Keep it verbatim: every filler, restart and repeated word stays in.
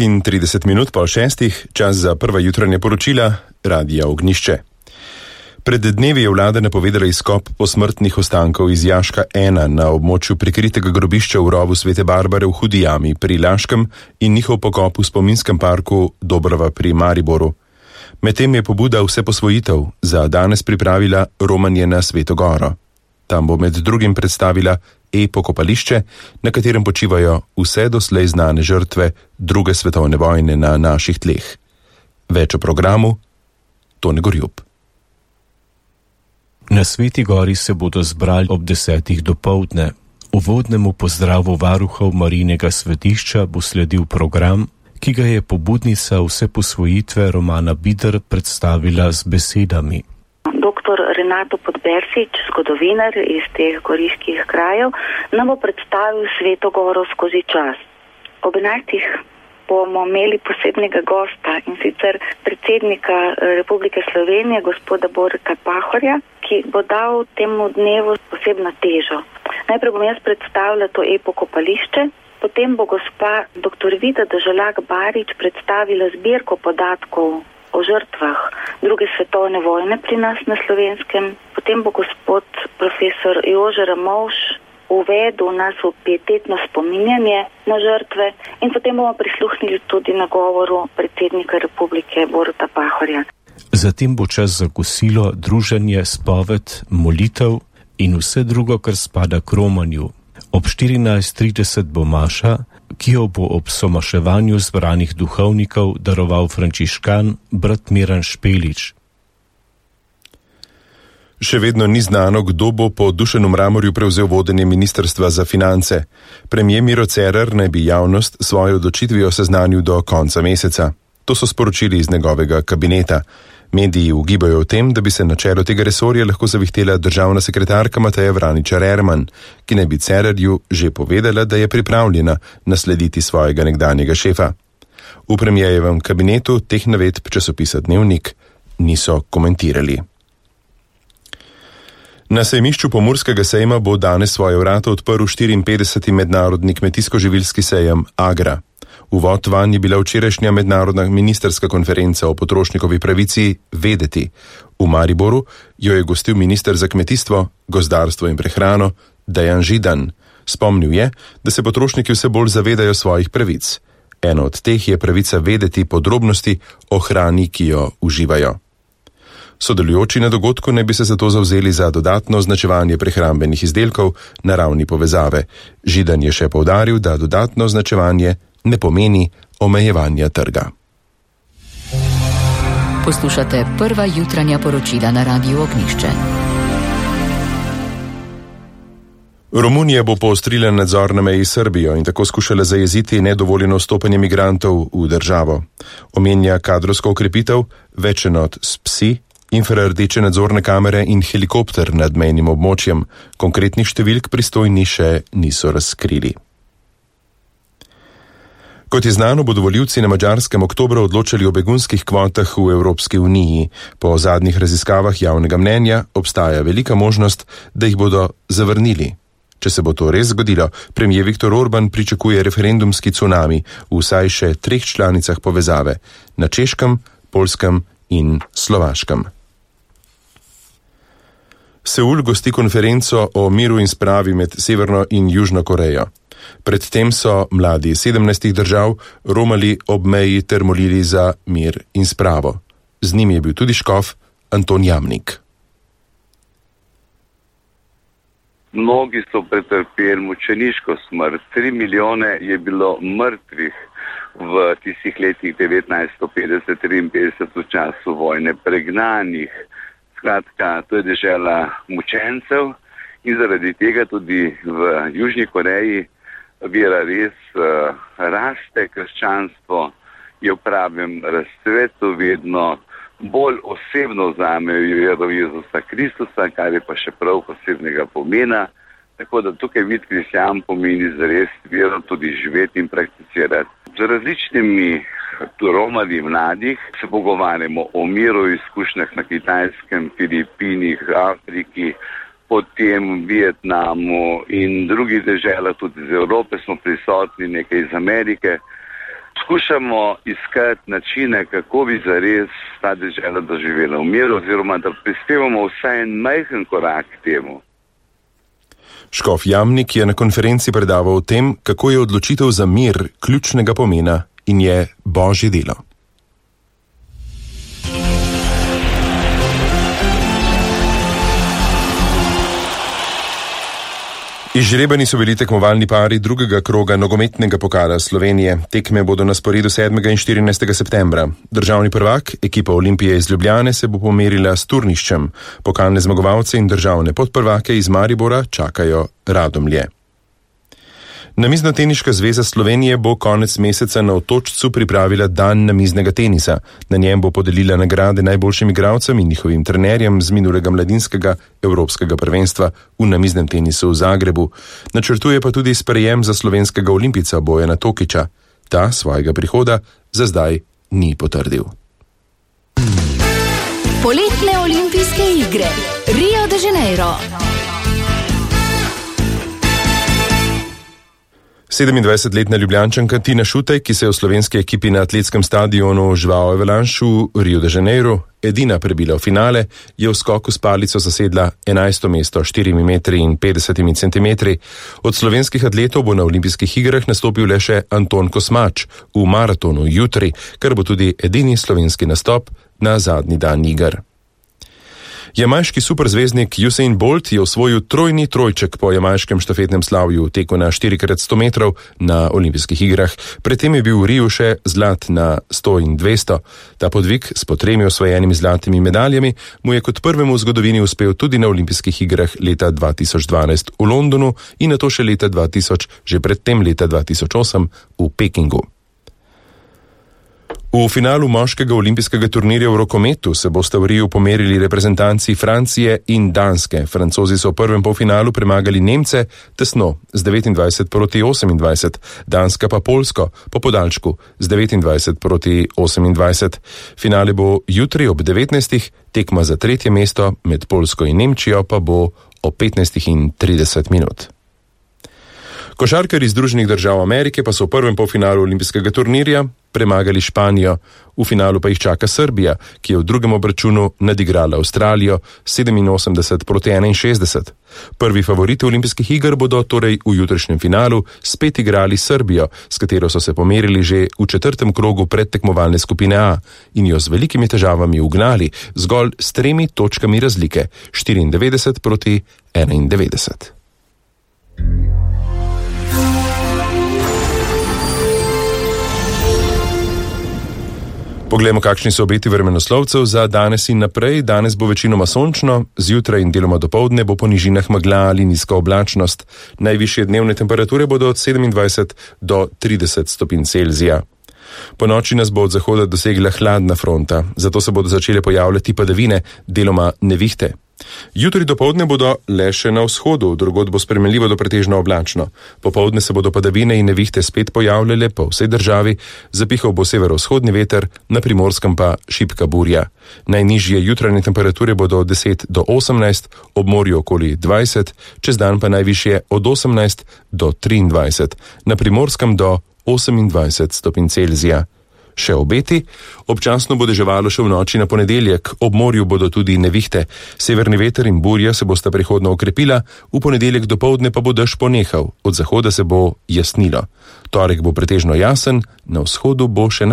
In trideset minut po šestih, čas za prva jutranja poročila Radia Ognišče. Pred dnevi je vlada napovedala izkop posmrtnih ostankov iz Jaška ena na območju prikritega grobišča v rovu Svete Barbare v Hudi jami pri Laškem in njihov pokop v spominskem parku Dobrava pri Mariboru. Medtem je pobuda vse posvojitev za danes pripravila romanje na Sveto Goro. Tam bo med drugim predstavila e-pokopališče, na katerem počivajo vse doslej znane žrtve druge svetovne vojne na naših tleh. Več o programu Tone Gorjub. Na Sveti Gori se bodo zbrali ob desetih dopoldne. Uvodnemu pozdravu varuhov Marijinega svetišča bo sledil program, ki ga je pobudnica vse posvojitve Romana Bider predstavila z besedami. Doktor Renato Podbersič, zgodovinar iz teh goriških krajev, nam bo predstavil Sveto Goro skozi čas. Ob enajstih bomo imeli posebnega gosta, in sicer predsednika Republike Slovenije, gospoda Borka Pahorja, ki bo dal temu dnevu posebno težo. Najprej bom jaz predstavila to e-pokopališče, potem bo gospa doktor Vida Deželak Barič predstavila zbirko podatkov o žrtvah druge svetovne vojne pri nas na Slovenskem. Potem bo gospod profesor Jože Ramovš uvedel nas v pietetno spominjanje na žrtve in potem bomo prisluhnili tudi na govoru predsednika Republike Boruta Pahorja. Zatem bo čas za kosilo, druženje, spoved, molitev in vse drugo, kar spada k romanju. Ob štirinajst trideset bo maša, ki jo bo ob somaševanju zbranih duhovnikov daroval frančiškan brat Miran Špelič. Še vedno ni znano, kdo bo po Dušanu Mramorju prevzel vodenje Ministrstva za finance. Premier Miro Cerar naj bi javnost svojo odločitvijo seznanil do konca meseca. To so sporočili iz njegovega kabineta. Mediji ugibajo o tem, da bi se na čelo tega resorja lahko zavihtela državna sekretarka Mateja Vraničar Erman, ki naj bi Cerarju že povedala, da je pripravljena naslediti svojega nekdanjega šefa. V premierjevem kabinetu teh navedb časopisa Dnevnik niso komentirali. Na sejmišču Pomurskega sejma bo danes svoje vrata odprl štiriinpetdeseti mednarodni kmetijsko-živilski sejem Agra. Uvod vanj je bila včerajšnja mednarodna ministerska konferenca o potrošnikovi pravici Vedeti. V Mariboru jo je gostil minister za kmetijstvo, gozdarstvo in prehrano Dejan Židan. Spomnil je, da se potrošniki vse bolj zavedajo svojih pravic. Eno od teh je pravica vedeti podrobnosti o hrani, ki jo uživajo. Sodelujoči na dogodku naj bi se zato zavzeli za dodatno označevanje prehrambenih izdelkov na ravni povezave. Židan je še poudaril, da dodatno označevanje ne pomeni omejevanja trga. Poslušate prva jutranja poročila na Radiu Ognišče. Romunija bo poostrila nadzor na meji s Srbijo in tako skušala zajeziti nedovoljeno vstopanje migrantov v državo. Omenja kadrovsko okrepitev, več enot s psi, infrardeče nadzorne kamere in helikopter nad mejnim območjem. Konkretnih številk pristojni še niso razkrili. Kot je znano, bodo volivci na Madžarskem oktobra odločali o begunskih kvotah v Evropski uniji. Po zadnjih raziskavah javnega mnenja obstaja velika možnost, da jih bodo zavrnili. Če se bo to res zgodilo, premier Viktor Orban pričakuje referendumski cunami v vsaj še treh članicah povezave, na Češkem, Poljskem in Slovaškem. Seul gosti konferenco o miru in spravi med Severno in Južno Korejo. Predtem so mladi sedemnajstih držav romali ob meji ter molili za mir in spravo. Z njimi je bil tudi škof Anton Jamnik. Mnogi so pretrpeli mučeniško smrt. Tri milijone je bilo mrtvih v tistih letih devetnajststo petdeset do triinpetdeset v času vojne, pregnanih. Skratka, to je dežela mučencev in zaradi tega tudi v Južni Koreji vera res uh, raste, krščanstvo je v pravem razcvetu, vedno bolj osebno vzamejo vero Jezusa Kristusa, kar je pa še prav posebnega pomena. Tako da tukaj vid kristjan pomeni zares vero tudi živeti in prakticirati. Z različnimi romali mladih se pogovarjamo o miru, izkušnjah na Kitajskem, Filipinih, Afriki, potem Vietnamu in drugih deželah, tudi iz Evrope smo prisotni, nekaj iz Amerike. skušamo iskati načine, kako bi zares ta dežela doživela v miru, oziroma da prispevamo vsaj en majhen korak k temu. Škof Jamnik je na konferenci predaval o tem, kako je odločitev za mir ključnega pomena in je božje delo. Izžrebani so bili tekmovalni pari drugega kroga nogometnega pokala Slovenije. Tekme bodo na sporedu sedmega in štirinajstega septembra. Državni prvak, ekipa Olimpije iz Ljubljane, se bo pomerila s Turniščem. Pokalne zmagovalce in državne podprvake iz Maribora čakajo Radomlje. Namiznoteniška zveza Slovenije bo konec meseca na Otočcu pripravila dan namiznega tenisa. Na njem bo podelila nagrade najboljšim igralcem in njihovim trenerjem z minulega mladinskega evropskega prvenstva v namiznem tenisu v Zagrebu. Načrtuje pa tudi sprejem za slovenskega olimpijca Bojana Tokiča. Ta svojega prihoda za zdaj ni potrdil. Poletne olimpijske igre Rio de Janeiro. sedemindvajsetletna Ljubljančanka Tina Šutej, ki se je v slovenski ekipi na atletskem stadionu João Avalanche v Rio de Janeiro edina prebila v finale, je v skoku s palico zasedla enajsto mesto s štirimi metri in petdesetimi centimetri. Od slovenskih atletov bo na olimpijskih igrah nastopil le še Anton Kosmač v maratonu jutri, kar bo tudi edini slovenski nastop na zadnji dan iger. Jamajški superzvezdnik Usain Bolt je osvojil trojni trojček po jamajškem štafetnem slavju v teku na štiri krat sto metrov na olimpijskih igrah. Predtem je bil v Riju še zlat na sto in dvesto. Ta podvig s po tremi osvojenimi zlatimi medaljami mu je kot prvemu v zgodovini uspel tudi na olimpijskih igrah leta dva tisoč dvanajst v Londonu in nato še leta dva tisoč, že predtem leta dva tisoč osem v Pekingu. V finalu moškega olimpijskega turnirja v rokometu se bosta v Riju pomerili reprezentanci Francije in Danske. Francozi so v prvem polfinalu premagali Nemce tesno z devetindvajset proti osemindvajset, Danska pa Poljsko po podaljšku z devetindvajset proti osemindvajset. Finale bo jutri ob devetnajstih, tekma za tretje mesto med Poljsko in Nemčijo pa bo ob petnajstih in trideset minut. Košarkarji Združenih držav Amerike pa so v prvem polfinalu olimpijskega turnirja premagali Španijo. V finalu pa jih čaka Srbija, ki je v drugem obračunu nadigrala Avstralijo sedeminosemdeset proti enainšestdeset. Prvi favoriti olimpijskih iger bodo torej v jutrišnjem finalu spet igrali Srbijo, s katero so se pomerili že v četrtem krogu predtekmovalne skupine A in jo z velikimi težavami ugnali zgolj s tremi točkami razlike, štiriindevetdeset proti enaindevetdeset. Poglejmo, kakšni so obeti vremenoslovcev za danes in naprej. Danes bo večinoma sončno, zjutraj in deloma dopoldne bo po nižinah megla ali nizka oblačnost. Najvišje dnevne temperature bodo od sedemindvajset do trideset stopinj Celzija. Po noči nas bo od zahoda dosegla hladna fronta, zato se bodo začele pojavljati padavine, deloma nevihte. Jutri dopoldne bodo le še na vzhodu, drugod bo spremenljivo do pretežno oblačno. Popoldne se bodo padavine in nevihte spet pojavljale po vsej državi, zapihal bo severovzhodni veter, na Primorskem pa šibka burja. Najnižje jutranje temperature bodo od deset do osemnajst, ob morju okoli dvajset, čez dan pa najvišje od osemnajst do triindvajset, na Primorskem do osemindvajset stopinj Celzija. Še obeti, občasno bo deževalo še v noči na ponedeljek, ob morju bodo tudi nevihte. Severni veter in burja se bosta prehodno okrepila, v ponedeljek dopoldne pa bo dež ponehal, od zahoda se bo jasnilo. Torek bo pretežno jasen, na vzhodu bo še